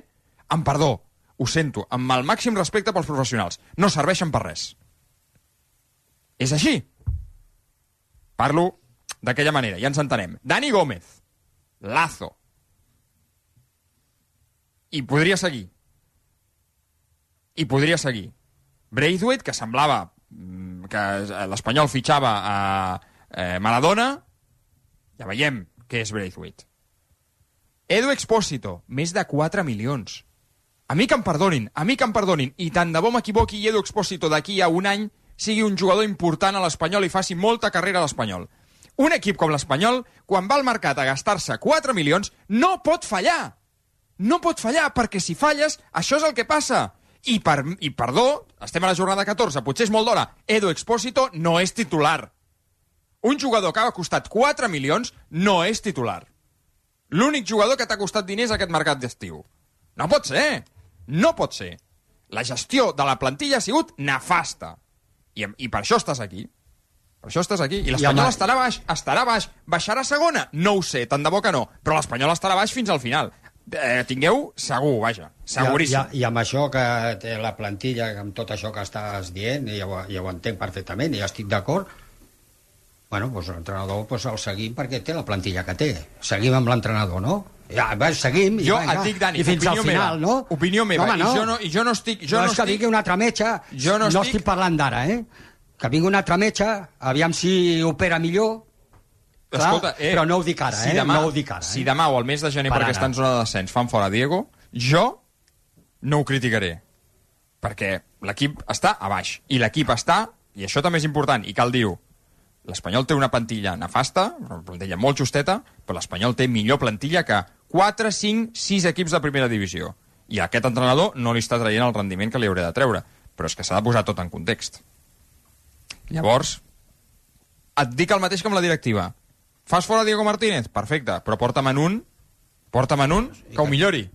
amb perdó, ho sento, amb el màxim respecte pels professionals, no serveixen per res. És així. Parlo d'aquella manera, ja ens entenem. Dani Gómez, Lazo, i podria seguir. I podria seguir. Braithwaite, que semblava que l'Espanyol fitxava a eh, Maradona, ja veiem què és Braithwaite. Edu Expósito, més de quatre milions. A mi que em perdonin, a mi que em perdonin, i tant de bo m'equivoqui i Edu Expósito d'aquí a un any sigui un jugador important a l'Espanyol i faci molta carrera a l'Espanyol. Un equip com l'Espanyol, quan va al mercat a gastar-se quatre milions, no pot fallar. No pot fallar, perquè si falles, això és el que passa. I, per, i perdó, estem a la jornada catorze, potser és molt d'hora. Edu Expósito no és titular. Un jugador que ha costat quatre milions no és titular. L'únic jugador que t'ha costat diners a aquest mercat d'estiu. No pot ser. No pot ser. La gestió de la plantilla ha sigut nefasta. I, i per això estàs aquí. Per això estàs aquí. I l'Espanyol amb... estarà baix, estarà baix. Baixarà a segona? No ho sé, tant de bo que no. Però l'Espanyol estarà baix fins al final. Eh, tingueu segur, vaja, seguríssim. I, i, I amb això que té la plantilla, amb tot això que estàs dient, ja ho, ja ho entenc perfectament, i ja estic d'acord, bueno, doncs l'entrenador doncs el seguim perquè té la plantilla que té. Seguim amb l'entrenador, no? Ja, va, seguim, i, jo venga, et dic, Dani, i fins al final, meva, no? Opinió meva, no, home, no. I, jo no, i jo no estic... Jo no, no és que estic... vingui un altre metge, jo no, no estic... estic parlant d'ara, eh? Que vingui un altre metge, aviam si opera millor, clar, escolta, eh, però no ho dic ara, si eh? demà, No ho dic ara, eh? Si demà o al mes de gener, per perquè ara. està en zona de descens, fan fora Diego, jo no ho criticaré. Perquè l'equip està a baix. I l'equip està, i això també és important, i cal dir-ho, l'Espanyol té una plantilla nefasta, una plantilla molt justeta, però l'Espanyol té millor plantilla que quatre, cinc, sis equips de primera divisió. I aquest entrenador no li està traient el rendiment que li haurà de treure. Però és que s'ha de posar tot en context. Llavors, et dic el mateix que amb la directiva. Fas fora Diego Martínez? Perfecte, però porta'm en un, porta'm en un que ho millori.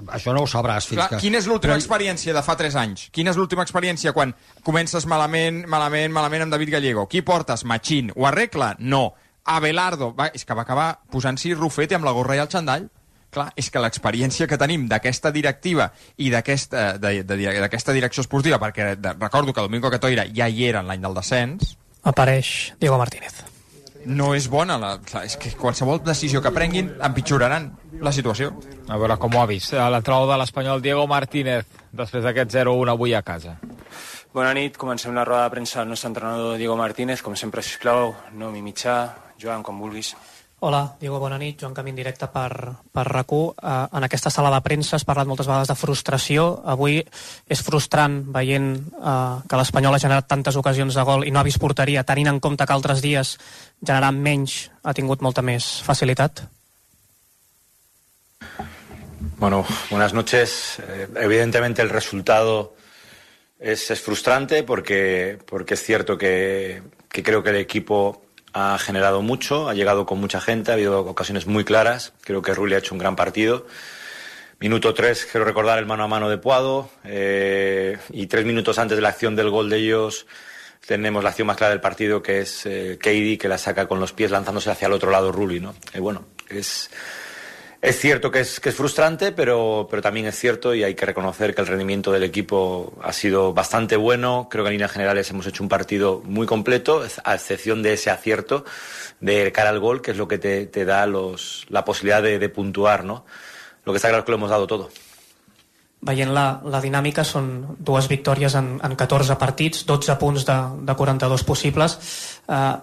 Això no ho sabràs fins Clar, que... Quina és l'última Però... experiència de fa tres anys? Quina és l'última experiència quan comences malament, malament, malament amb David Gallego? Qui portes? Machín. Ho arregla? No. Abelardo. Va, és que va acabar posant-s'hi Rufete amb la gorra i el xandall. Clar, és que l'experiència que tenim d'aquesta directiva i d'aquesta de, de, d'aquesta direcció esportiva, perquè de, recordo que Domingo Catoira ja hi era l'any del descens... Apareix Diego Martínez. No és bona, la, clar, és que qualsevol decisió que prenguin empitjoraran la situació. A veure com ho ha vist l'entrenador de l'Espanyol, Diego Martínez, després d'aquest zero a un avui a casa. Bona nit, comencem la roda de premsa del nostre entrenador Diego Martínez. Com sempre, sisplau, no mi mitjà. Joan, com vulguis. Hola, Diego, bona nit. Joan Camín, directe per, per RAC u. Uh, en aquesta sala de premsa has parlat moltes vegades de frustració. Avui és frustrant veient uh, que l'Espanyol ha generat tantes ocasions de gol i no ha vist porteria, tenint en compte que altres dies generant menys ha tingut molta més facilitat. Bueno, buenas noches. Eh, evidentemente el resultado es, es frustrante porque, porque es cierto que, que creo que el equipo ha generado mucho, ha llegado con mucha gente, ha habido ocasiones muy claras. Creo que Rulli ha hecho un gran partido. Minuto tres, quiero recordar el mano a mano de Puado, eh, y tres minutos antes de la acción del gol de ellos tenemos la acción más clara del partido, que es eh, Keidi, que la saca con los pies lanzándose hacia el otro lado Rulli, ¿no? Y bueno, es... Es cierto que es, que es frustrante, pero, pero también es cierto y hay que reconocer que el rendimiento del equipo ha sido bastante bueno. Creo que en líneas generales hemos hecho un partido muy completo, a excepción de ese acierto de cara al gol, que es lo que te, te da los, la posibilidad de, de puntuar, ¿no? Lo que está claro es que lo hemos dado todo. Veient la, la dinàmica, són dues victòries en, en catorze partits, dotze punts de, de quaranta-dos possibles. Uh,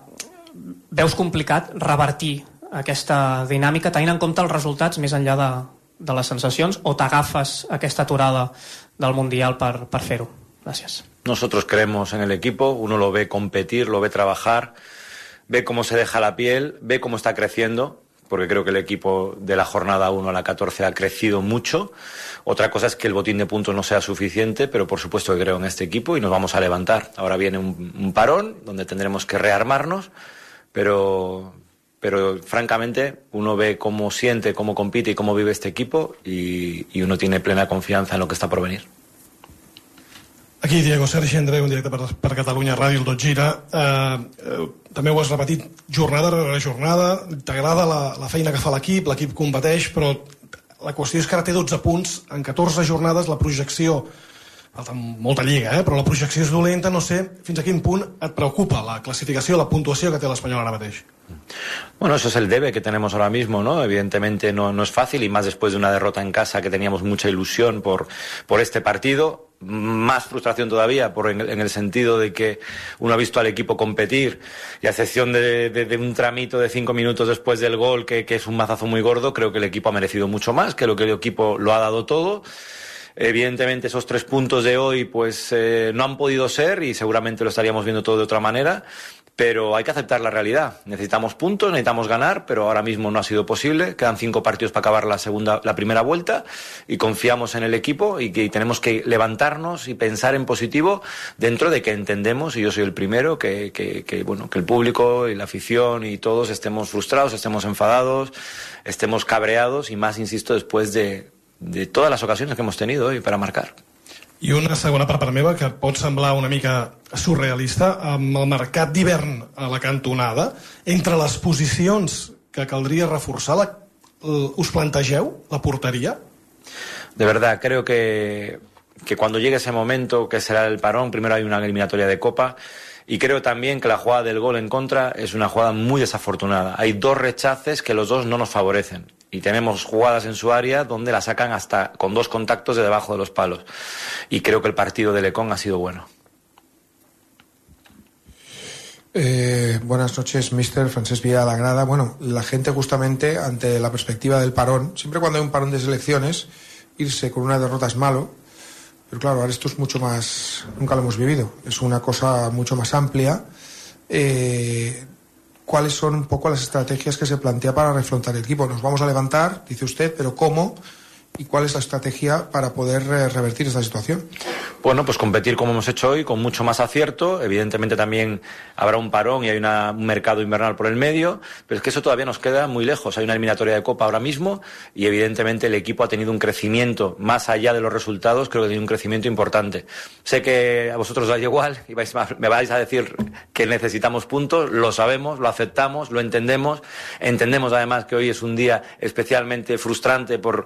veus complicat revertir aquesta dinàmica, tenint en compte els resultats més enllà de, de les sensacions, o t'agafes aquesta aturada del Mundial per, per fer-ho? Gràcies. Nosotros creemos en el equipo, uno lo ve competir, lo ve trabajar, ve cómo se deja la piel, ve cómo está creciendo, porque creo que el equipo de la jornada uno a la catorce ha crecido mucho. Otra cosa es que el botín de puntos no sea suficiente, pero por supuesto que creo en este equipo y nos vamos a levantar. Ahora viene un, un parón donde tendremos que rearmarnos, pero... pero francamente uno ve cómo siente, cómo compite y cómo vive este equipo y, y uno tiene plena confianza en lo que está por venir. Aquí Diego Sergi Andreu, en directe per, per Catalunya Ràdio, el Tot Gira. Eh, eh, també ho has repetit jornada rere jornada, t'agrada la, la feina que fa l'equip, l'equip competeix, però la qüestió és que ara té dotze punts, en catorze jornades la projecció, falta molta lliga, eh? Però la projecció és dolenta, no sé fins a quin punt et preocupa la clasificació, la puntuació que té l'Espanyol ara mateix. Bueno, eso es el debe que tenemos ahora mismo, ¿no? Evidentemente no, no es fácil y más después de una derrota en casa que teníamos mucha ilusión por, por este partido. Más frustración todavía por en, en el sentido de que uno ha visto al equipo competir y a excepción de, de, de un tramito de cinco minutos después del gol que, que es un mazazo muy gordo, creo que el equipo ha merecido mucho más, que lo que el equipo lo ha dado todo. Evidentemente esos tres puntos de hoy pues eh, no han podido ser y seguramente lo estaríamos viendo todo de otra manera, pero hay que aceptar la realidad. Necesitamos puntos, necesitamos ganar, pero ahora mismo no ha sido posible. Quedan cinco partidos para acabar la segunda, la primera vuelta y confiamos en el equipo y que tenemos que levantarnos y pensar en positivo dentro de que entendemos, y yo soy el primero, que, que, que, bueno, que el público y la afición y todos estemos frustrados, estemos enfadados, estemos cabreados y más, insisto, después de de todas las ocasiones que hemos tenido hoy para marcar. I una segona part per meva, que pot semblar una mica surrealista, amb el mercat d'hivern a la cantonada, entre les posicions que caldria reforçar, la, ¿us plantegeu la portería? De verdad, creo que, que cuando llegue ese momento, que será el parón, primero hay una eliminatoria de Copa, y creo también que la jugada del gol en contra es una jugada muy desafortunada. Hay dos rechaces que los dos no nos favorecen. Y tenemos jugadas en su área donde la sacan hasta con dos contactos de debajo de los palos. Y creo que el partido de Lecón ha sido bueno. Eh, buenas noches, mister Francesc Villa de la Grada. Bueno, la gente justamente ante la perspectiva del parón, siempre cuando hay un parón de selecciones, irse con una derrota es malo, pero claro, ahora esto es mucho más, nunca lo hemos vivido, es una cosa mucho más amplia. Eh, ¿Cuáles son un poco las estrategias que se plantea para refrontar el equipo? Nos vamos a levantar, dice usted, pero ¿cómo? ¿Y cuál es la estrategia para poder eh, revertir esta situación? Bueno, pues competir como hemos hecho hoy, con mucho más acierto. Evidentemente también habrá un parón y hay una, un mercado invernal por el medio, pero es que eso todavía nos queda muy lejos. Hay una eliminatoria de Copa ahora mismo y evidentemente el equipo ha tenido un crecimiento, más allá de los resultados, creo que ha tenido un crecimiento importante. Sé que a vosotros os da igual y vais, me vais a decir que necesitamos puntos, lo sabemos, lo aceptamos, lo entendemos. Entendemos además que hoy es un día especialmente frustrante por,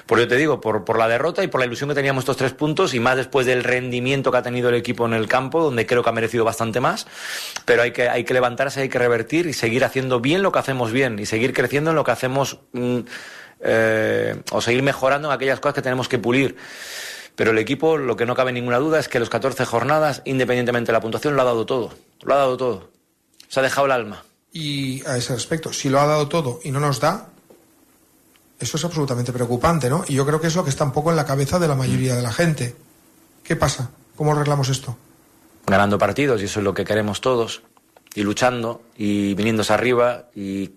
por yo te digo, por, por la derrota y por la ilusión que teníamos estos tres puntos y más después del rendimiento que ha tenido el equipo en el campo, donde creo que ha merecido bastante más, pero hay que, hay que levantarse, hay que revertir y seguir haciendo bien lo que hacemos bien y seguir creciendo en lo que hacemos mm, eh, o seguir mejorando en aquellas cosas que tenemos que pulir. Pero el equipo, lo que no cabe ninguna duda es que los catorce jornadas, independientemente de la puntuación, lo ha dado todo, lo ha dado todo, se ha dejado el alma. Y a ese respecto, si lo ha dado todo y no nos da, eso es absolutamente preocupante, ¿no? Y yo creo que es lo que está un poco en la cabeza de la mayoría de la gente. ¿Qué pasa? ¿Cómo arreglamos esto? Ganando partidos, y eso es lo que queremos todos, y luchando, y viniéndose arriba, y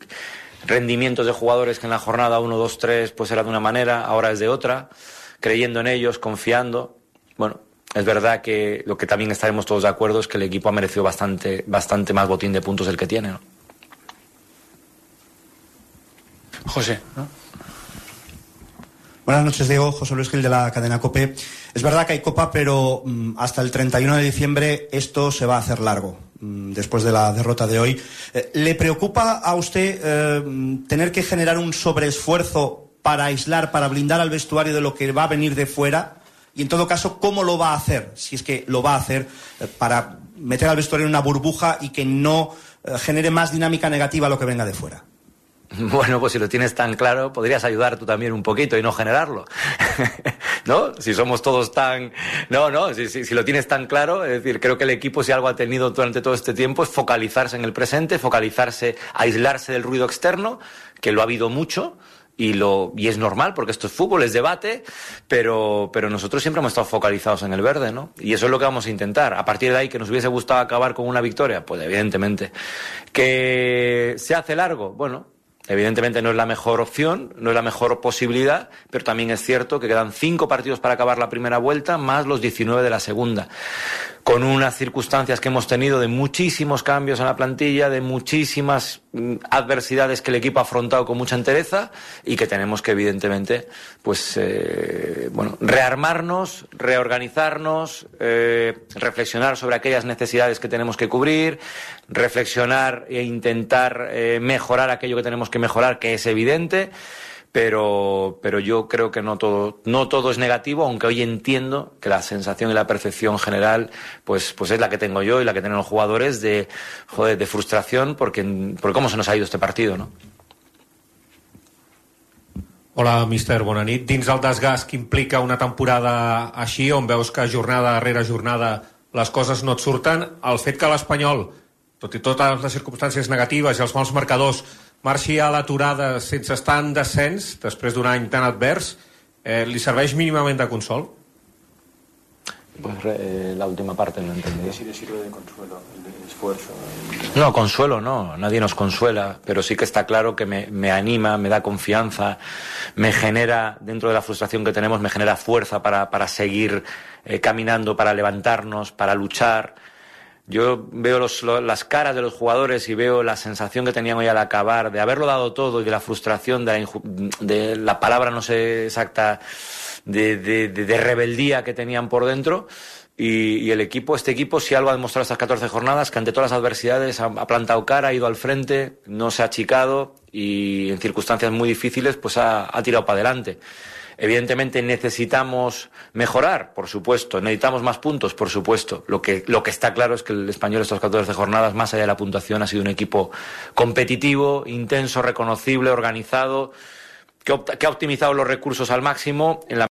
rendimientos de jugadores que en la jornada uno, dos, tres pues era de una manera, ahora es de otra, creyendo en ellos, confiando. Bueno, es verdad que lo que también estaremos todos de acuerdo es que el equipo ha merecido bastante, bastante más botín de puntos del que tiene, ¿no? José, ¿no? Buenas noches, Diego. José Luis Gil de la cadena COPE. Es verdad que hay Copa, pero mmm, hasta el treinta y uno de diciembre esto se va a hacer largo, mmm, después de la derrota de hoy. Eh, ¿Le preocupa a usted eh, tener que generar un sobreesfuerzo para aislar, para blindar al vestuario de lo que va a venir de fuera? Y en todo caso, ¿cómo lo va a hacer? Si es que lo va a hacer eh, para meter al vestuario en una burbuja y que no eh, genere más dinámica negativa a lo que venga de fuera. Bueno, pues si lo tienes tan claro, podrías ayudar tú también un poquito y no generarlo, ¿no? Si somos todos tan... No, no, si, si, si lo tienes tan claro, es decir, creo que el equipo, si algo ha tenido durante todo este tiempo, es focalizarse en el presente, focalizarse, aislarse del ruido externo, que lo ha habido mucho, y lo y es normal, porque esto es fútbol, es debate, pero, pero nosotros siempre hemos estado focalizados en el verde, ¿no? Y eso es lo que vamos a intentar. A partir de ahí, que nos hubiese gustado acabar con una victoria, pues evidentemente. ¿Que se hace largo? Bueno... Evidentemente no es la mejor opción, no es la mejor posibilidad, pero también es cierto que quedan cinco partidos para acabar la primera vuelta, más los diecinueve de la segunda. Con unas circunstancias que hemos tenido de muchísimos cambios en la plantilla, de muchísimas mm, adversidades que el equipo ha afrontado con mucha entereza y que tenemos que, evidentemente, pues, eh, bueno, rearmarnos, reorganizarnos, eh, reflexionar sobre aquellas necesidades que tenemos que cubrir, reflexionar e intentar eh, mejorar aquello que tenemos que mejorar, que es evidente. Pero, pero yo creo que no todo, no todo es negativo, aunque hoy entiendo que la sensación y la percepción general pues, pues es la que tengo yo y la que tienen los jugadores de, joder, de frustración porque, porque cómo se nos ha ido este partido, ¿no? Hola, míster, bona nit. Dins el desgast que implica una temporada així, on veus que jornada darrere jornada les coses no et surten, el fet que l'Espanyol, tot i totes les circumstàncies negatives i els mals marcadors, marxi a l'aturada sense estar en descens, després d'un any tan advers, eh, ¿li serveix mínimament de consol? Pues eh, la última parte no entendí. ¿Sí le sirve de consuelo, de esfuerzo? No, consuelo no, nadie nos consuela, pero sí que está claro que me, me anima, me da confianza, me genera, dentro de la frustración que tenemos, me genera fuerza para, para seguir eh, caminando, para levantarnos, para luchar. Yo veo los, lo, las caras de los jugadores y veo la sensación que tenían hoy al acabar, de haberlo dado todo y de la frustración, de la, de la palabra no sé exacta, de, de, de, de rebeldía que tenían por dentro. Y, y el equipo, este equipo, si algo ha demostrado estas catorce jornadas, que ante todas las adversidades ha, ha plantado cara, ha ido al frente, no se ha achicado y en circunstancias muy difíciles pues ha, ha tirado para adelante. Evidentemente necesitamos mejorar, por supuesto, necesitamos más puntos, por supuesto. Lo que, lo que está claro es que el Español estas catorce jornadas, más allá de la puntuación, ha sido un equipo competitivo, intenso, reconocible, organizado, que, opta, que ha optimizado los recursos al máximo en la